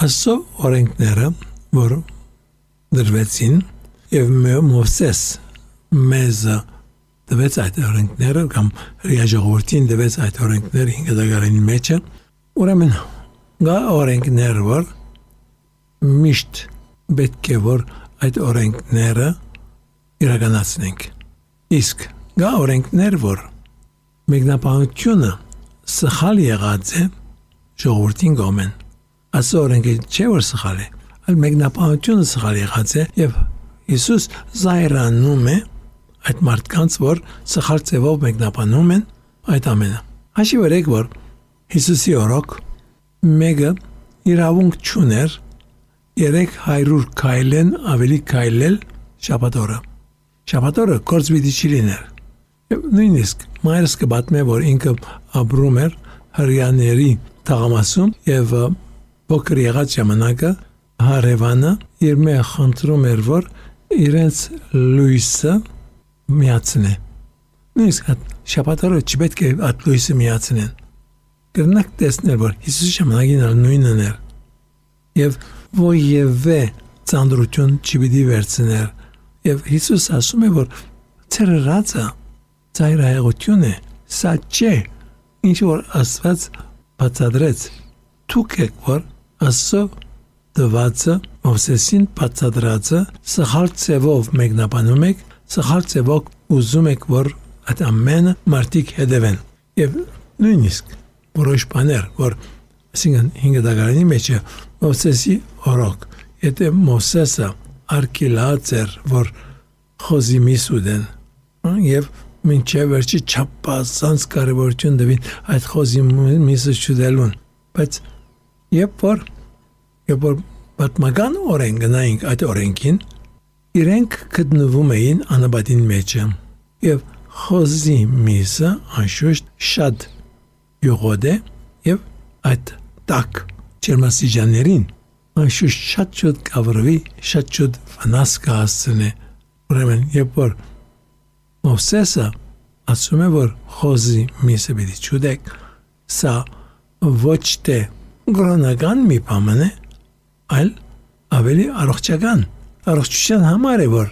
Աստծո օրենքները, որ դրվեցին, եւ Մովսես մեզ դվեց այդ օրենքները, կամ հրաժողովրդին դվեց այդ օրենքները 5 դարանի մեջը, ուրեմն գա օրենքներ, որ միշտ պետք է որ այդ օրենքները իրականացնենք։ Իսկ գա օրենքներ, որ մեկնաբանությունը սխալ եղած է ժողովրդին կողմեն։ Աստծո օրենքը չէ որ սխալ է, այլ մեկնաբանությունը սխալ եղած է, եւ Հիսուս զայրանում է այդ մարդկանց, որ սխալ ձևով մեկնաբանում են այդ ամենը։ Հաշիվ արեք, որ Հիսուսի օրոք մեկը իրավունք չուներ 300 քայլեն ավելի քայլել շաբաթօրը։ Շաբաթօրը գործ պիտի չլիներ։ Նույնիսկ մայրս կպատմե, որ ինքը ապրում էր հրյաների թաղամասում եւ փոքր եղած ժամանակը հարևանը իր մե խնդրում էր, որ իրենց լույսը միացնե։ Նույնիսկ շաբաթօրը չպետք է այդ լույսը միացնեն։ Կրնակ տեսնել, որ Հիսուսի ժամանակին նույնն էր։ Եվ ոյևէ ծանրություն չպիտի վերցներ։ Եվ Հիսուս ասում է, որ ցերրածը ծայրահեղություն է, սա չէ, ինչ որ Աստված բացատրեց։ Դուք եք, որ Աստծո դվածը Մովսեսին բացատրածը սխալ ձևով մեկնաբանում եք, սխալ ձևով ուզում եք, որ այդ ամենը մարդիկ հետևեն։ Եվ նույնիսկ որոշ բաներ, որ այսինքն 5 դարանի մեջ Մովսեսի օրոք, եթե Մովսեսը արկելած էր, որ խոզի միս ուդեն, եւ մինչև վերջի չափազանց կարևորություն դվին այդ խոզի միսը չուդելուն, բայց երբ որ պատմական օրենք գնայինք այդ օրենքին, իրենք գտնվում էին անաբադին մեջը, եւ խոզի միսը անշուշտ շատ յուղոտ է, եւ այդ տակ ջերմաստիճաններին անշուշտ շատ շուտ կավրվի, շատ շուտ վնաս կհասցնի։ Ուրեմն երբ որ Մովսեսը ասում է, որ խոզի միսը պիտի չուդեք, սա ոչ թե գրոնական մի բան է, այլ ավելի առողջական, առողջության համար է, որ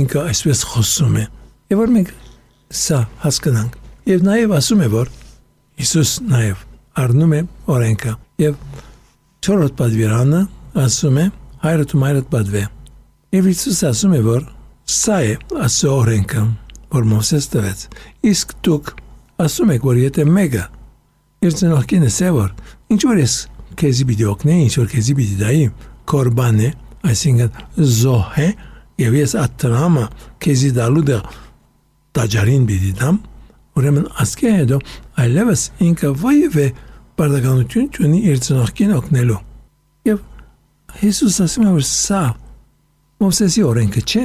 ինքը այսպես խոսում է։ Եվ որ մենք սա հասկանանք։ Եվ նաև ասում է, որ Հիսուս նաև առնում է օրենքը։ Եվ 4-րդ պատվիրանը ասում է հայրդ ու մայրդ պատվե։ Եվ Հիսուս ասում է, որ սա է Աստծո օրենքը, որ Մովսես տվեց։ Իսկ դուք ասում եք, որ եթե մեկը իր ծնողքին ասե, որ ինչ որ ես քեզի պիտի օգնեի, ինչ որ քեզի պիտի դայի, կորբան է, այսինքն զոհ է, եւ ես ատրամը քեզի դալու դե տաճարին պիտի դամ, ուրեմն ասկե հետո այլևս ինքը ոյևէ բարդականություն չունի իր ծնողքին օգնելու։ Եվ Հիսուս ասում է, որ սա Մովսեսի օրենքը չէ,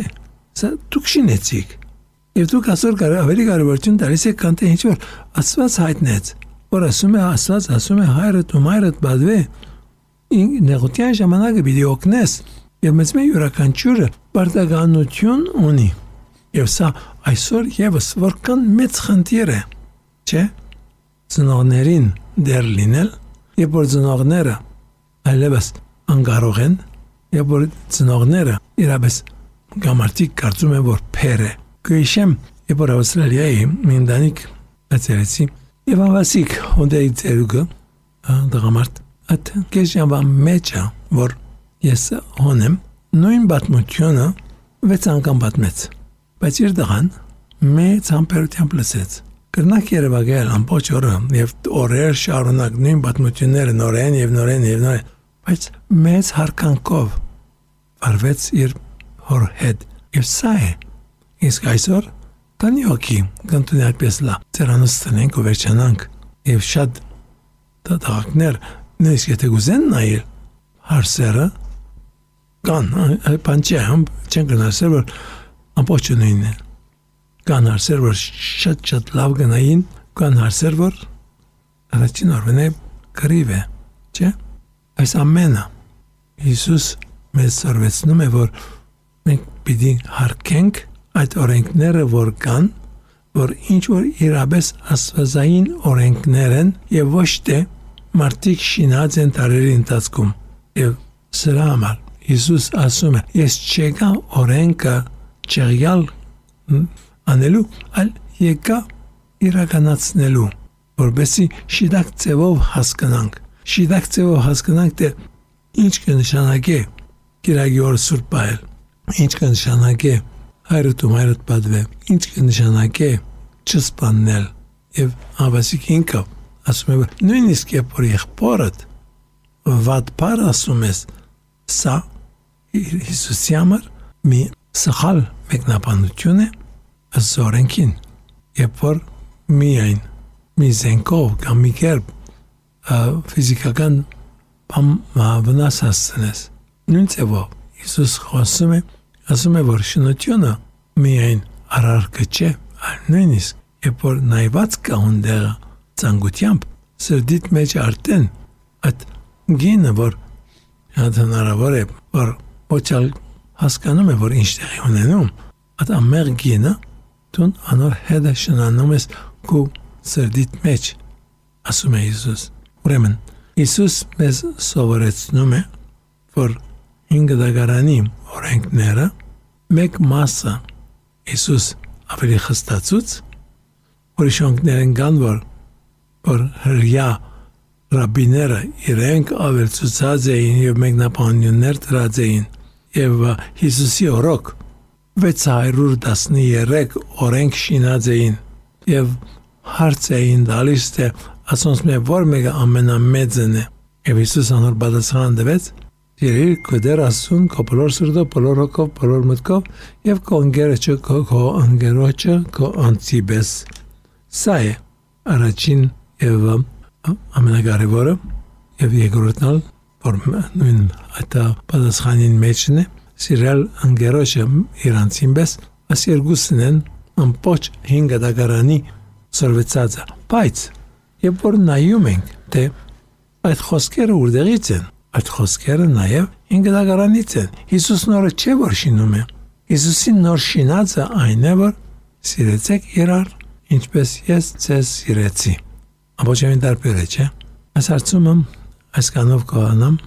սա դուք շինեցիք։ Եվ դուք այսօր ավելի կարևորություն տալիս եք, քան թե ինչ որ Աստված հայտնեց, որ ասում է Աստված ասում է հայրդ ու մայրդ բադվե, նեղության ժամանակը պիտի օգնես, եւ մեծ մի յուրաքանչյուրը բարդականություն ունի։ Եվ սա այսօր եւս որքան մեծ խնդիր է, չէ՞։ Ծնողներին դեր լինել, երբ որ ծնողները այլևս անկարող են, երբ որ ծնողները իրապես գամարտիկ կարծում են, որ փեր է։ Գույշեմ, երբ որ Ավստրալիայի մի ընտանիք այցելեցի, եւ ավասիկ հոնդեի ծերուկը դղամարտ այդ կեժյամվա մեջը, որ ես հոնեմ, նույն պատմությունը 6 անգամ պատմեց, բայց իր դղան մեծ համբերությամբ լսեց։ Կրնակ երևակայել ամբողջ օրը եւ օրեր շարունակ նույն պատմությունները նորեն եւ նորեն եւ նորեն, բայց մեծ հարկանքով վարվեց իր հոր հետ։ Եվ սա է։ Իսկ այսօր տանի հոգի կընտրի այդպես լա, ծերանոց տնենք ու վերջանանք եւ շատ դատակներ նույնիսկ եթե գուզեն նայել հարսերը կան, պանչեմ չեն գնացել, որ ամբողջ նույնն է։ Կան հարսեր, որ շատ լավ գնային, կան հարսեր, որ առաջին օրվան է կրիվ է, չէ՞։ Այս ամենը Հիսուս մեզ սորվեցնում է, որ մենք պիտի հարգենք այդ օրենքները, որ կան, որ ինչ որ իրապես աստվածային օրենքներ են եւ ոչ թե մարդիկ շինած են տարերի ընթացքում։ Եվ Սրա համար Հիսուս ասում է, ես չեկա օրենքը չեղյալ անելու, այլ եկա իրականացնելու, որովհետեւ շիդակ ձևով հասկանանք։ Շիդակ ձևով հասկանանք, թե ինչ կնշանակի Կիրակի օր սուրբ պահել, ինչ կնշանակի հայրդ ու մայրդ պատվել, ինչ կնշանակի չսպանել եւ ավասիկ ինքը ասում է, նույնիսկ երբ որ եղբորդ վատ բառ ասում ես, սա Հիսուսի համար մի սխալ մեկնաբանություն է զորենքին, երբ որ միայն մի զենքով կամ մի կերպ ֆիզիկական վնաս հասցնես, նույն ձևով Հիսուս խոսում է, ասում է, որ շնությունը միայն արարքը չէ, այլ նույնիսկ երբ որ նայված կա ունդեղը ծանգությամբ, սրդիդ մեջ արդեն այդ գինը, որ հնարավոր է, որ ոչալ հասկանում է, որ ինչ տեղի ունենում, այդ ամեղ գինը դուն անոր հետը շնանում ես քո սրդիդ մեջ, ասում է Հիսուս։ Ուրեմն, Հիսուս մեզ սովորեցնում է, որ 5 դագարանի օրենքները մեկ մասը Հիսուս ավելի խստացուց, ուրիշ օրենքներ կան, որ հրյա ռաբիները իրենք ավելցուցած էին եւ մեկնաբանություններ դրած էին եւ Հիսուսի օրոք 613 օրենք շինած էին եւ հարց էին տալիս, թե ասոնց մե որ մեկը ամենամեծն է եւ Հիսուս անոր պատասխան տվեց. «Երիր քո դեր ասուն, քո բոլոր սրտով, բոլոր հոգով, բոլոր մտքով եւ քո ընկերոջը, քո անտիբես»։ Սա է առաջին եւ ամենակարևորը եւ երկրորդն, որ նույն այդ պատասխանին մեջն է, սիրել ընկերոջը իրանցին պես, այս երկուսն են ամբողջ 5 դագարանի սորվեցածը։ Բայց երբ որ նայում ենք, թե այդ խոսքերը որտեղից են, այդ խոսքերը նաև 5 դագարանից են։ Հիսուս նորը չէ, որ շինում է։ Հիսուսի նոր շինածը այն է, որ սիրեցեք իրար, ինչպես ես ձեզ սիրեցի։ Ամբողջովին տարբեր է, չէ՞։ Այս հարցումը այս կանով կողանամ